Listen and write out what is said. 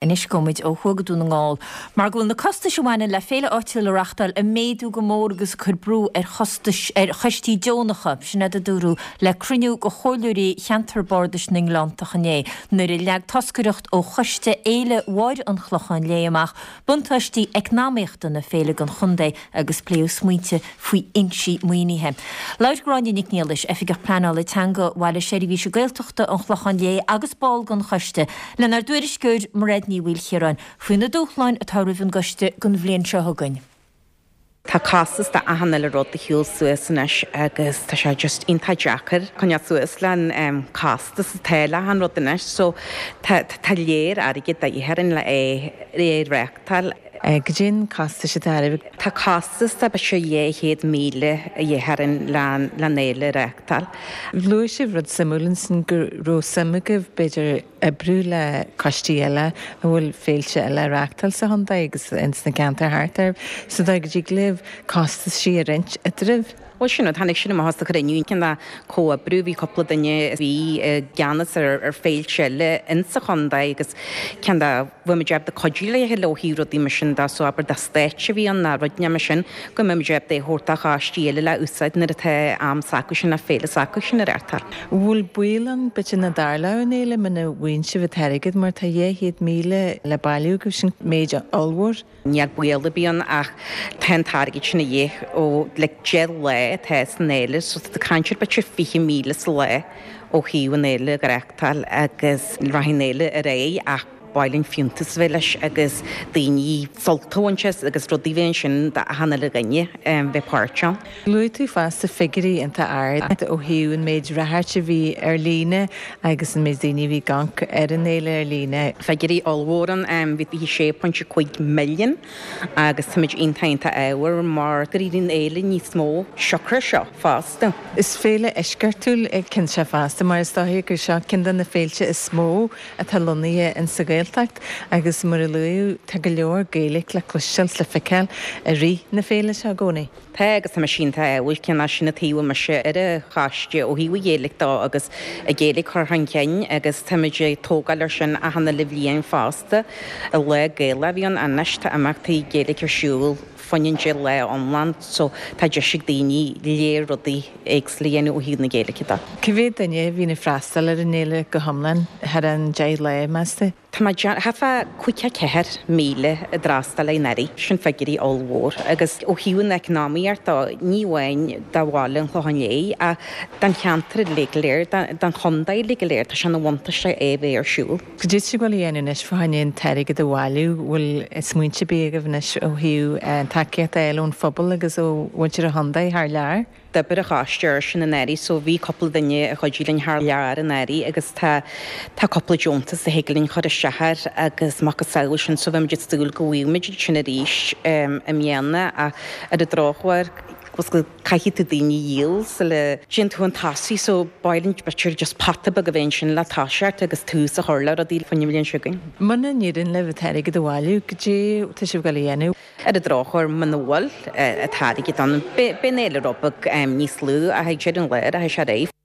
Anois gabhfaidh muid ó thuaidh go Dún na nGall mar go bhfuil na costais a bhaineann le féile áitiúil a reachtáil ag méadú go mór agus ag cur brú ar chostais ar choistí deonacha. Sin iad a dúradh le cruinniú de chomhairleoirí cheantar bardais na nGleanntach inné nuair a leag toscaireacht ó choiste Fhéile Mháire an Chlocháin Léith amach buntáistí eacnamaíochta na féile don chontae agus pléadh smaointe faoi fhoinsí maoinithe. Labhair Gráinne Nic Niallais, Oifigeach Pleanála Teanga Bhaile Seirbhíse Gaeltachta an Chlocháin Léith agus ball den choiste, lenár dtuairisceoir Mairéad Ní Mhaoilchiaráin faoi na dúshláin atá roimh an gcoiste don bhliain seo chugainn. Tá costas de achan uile rud ag siúl suas anois agus tá sé just iontach deacair coinneáil suas le an costas atá le achan rud anois so tá tá léir airgead de dhíth orainn le é é reachtáil. Goidé an costas atá oraibh? Tá costas de b'fhéidir 200,000 a dhíth orainn le an fhéile a reachtáil. Luaigh sibh rud suimiúil ansin go raibh suim agaibh b'fhéidir oibriú le coistí eile a bhfuil féilte eile á reachtáil sa chontae agus ins na ceantair thart air sa dóigh go dtig libh costaisí a roinnt eadraibh. Bhuel sin rud, tháinig sin amach as an chruinniú, cineál comhoibriú, bhí cúpla duine a bhí i gceannas ar féilte eile insa chontae agus cineál bheadh muid ábalta cuidiú le chéile ó thaobh rudaí mar sin de, so abair dá stáitse a bhí ann ná rud inteacht mar sin, go mbeadh muid ábalta é a thabhairt do choistí eile le úsáid nuair atá am s'acusan ná féile s'acusan á reachtáil. Bhfuil baol ann b'fhéidir nach dtarlódh an fhéile muna bhfaigheann sibh an t-airgead mar tá 200,000 le bailiú agaibh, sin méid ollmhór. Níl baol ar bith ann ach tá an t-airgead sin a dhíth ó like 10 lá atá san fhéile so tá tú ag caint ar b'fhéidir 20,000 sa lá ó thaobh an fhéile a reachtáil agus rachaidh an fhéile ar aghaidh ach ba mhaith linn fiúntas a bheith leis agus daoine sult a bhaint as agus rudaí a bheith ansin d'achan uile dhuine bheith páirteach ann. Luaigh tú fosta figiúirí iontach ard ó thaobh an méid radhairc a bhí ar líne agus an méid daoine a bhí ag amharc ar an fhéile ar líne. Figiúirí ollmhór ann, bhí 26.5 milliún agus táimid iontach iontach ádhmhar mar gur éirigh an fhéile níos mó siocair seo fosta. Is féile eisceachtúil é cinnte fosta mar is dóiche gur seo ceann de na féilte is mó atá lonnaithe in sa Ghaeltacht agus mar a luadh tá go leor Gaeilge le cloisteáil 's le feiceáil i rith na féile seo i gcónaí. Tá agus tá mise iontach ádhúil cineál sin an taobh a bhfuil mise ar an choiste ó thaobh an Ghaeilge dó agus an Ghaeilge a chur chun cinn agus táimid ag tógáil ar sin achan uile bhliain fosta. Lá Gaelach a bhí ann anois tá imeachtaí Gaeilge ar siúl fá choinne an 10 lá iomlán so tá deis ag daoine léir rudaí éagsúla a dhéanamh ó thaobh na Gaeilge de. Cá mhéad duine a bhíonn ag freastal ar an fhéile go hiomlán thar an 10 lá, meas tú? Tá mé ag déanamh, thart fá 54,000 a d'fhreastail anuraidh, sin figiúirí ollmhór agus ó thaobh an eacnamaíocht dó, ní amháin do bhaile an Chlocháin Léith ach don cheantar uilig go léir, don chontae uilig go léir, tá sé ina bhuntáiste é a bheith ar siúl. Cad é tá sibh ag goil a dhéanamh anois fá choinne an t-airgead a bhailiú? Bhfuil smaointe ar bith agaibh anois ó thaobh tacaíocht a fháil ón phobal agus ó mhuintir an chontae thar lear? D'oibrigh an choiste air sin anuraidh so bhí cúpla duine a chuidigh linn thar lear anuraidh agus tá tá cúpla deontas a thig linn chur isteach air agus macasamhail sin so bheimid ag súil go bhfaighimid iad sin arís i mbliana ach ar an drochuair caithfidh tú daoine a dhíol sula dtéann tú chun tosaigh so ba mhaith linn b'fhéidir just pota beag a bheith ansin le toiseacht agus tús a chur le rudaí faoin mbliain seo chugainn. Muna n-éiríonn libh an t-airgead a bhailiú, cad é tá sibh ag goil a dhéanamh? Ar an drochuair, muna bhfuil an t-airgead ann, beidh an fhéile rud beag níos lú ach ag deireadh an lae, rachaidh sé ar aghaidh.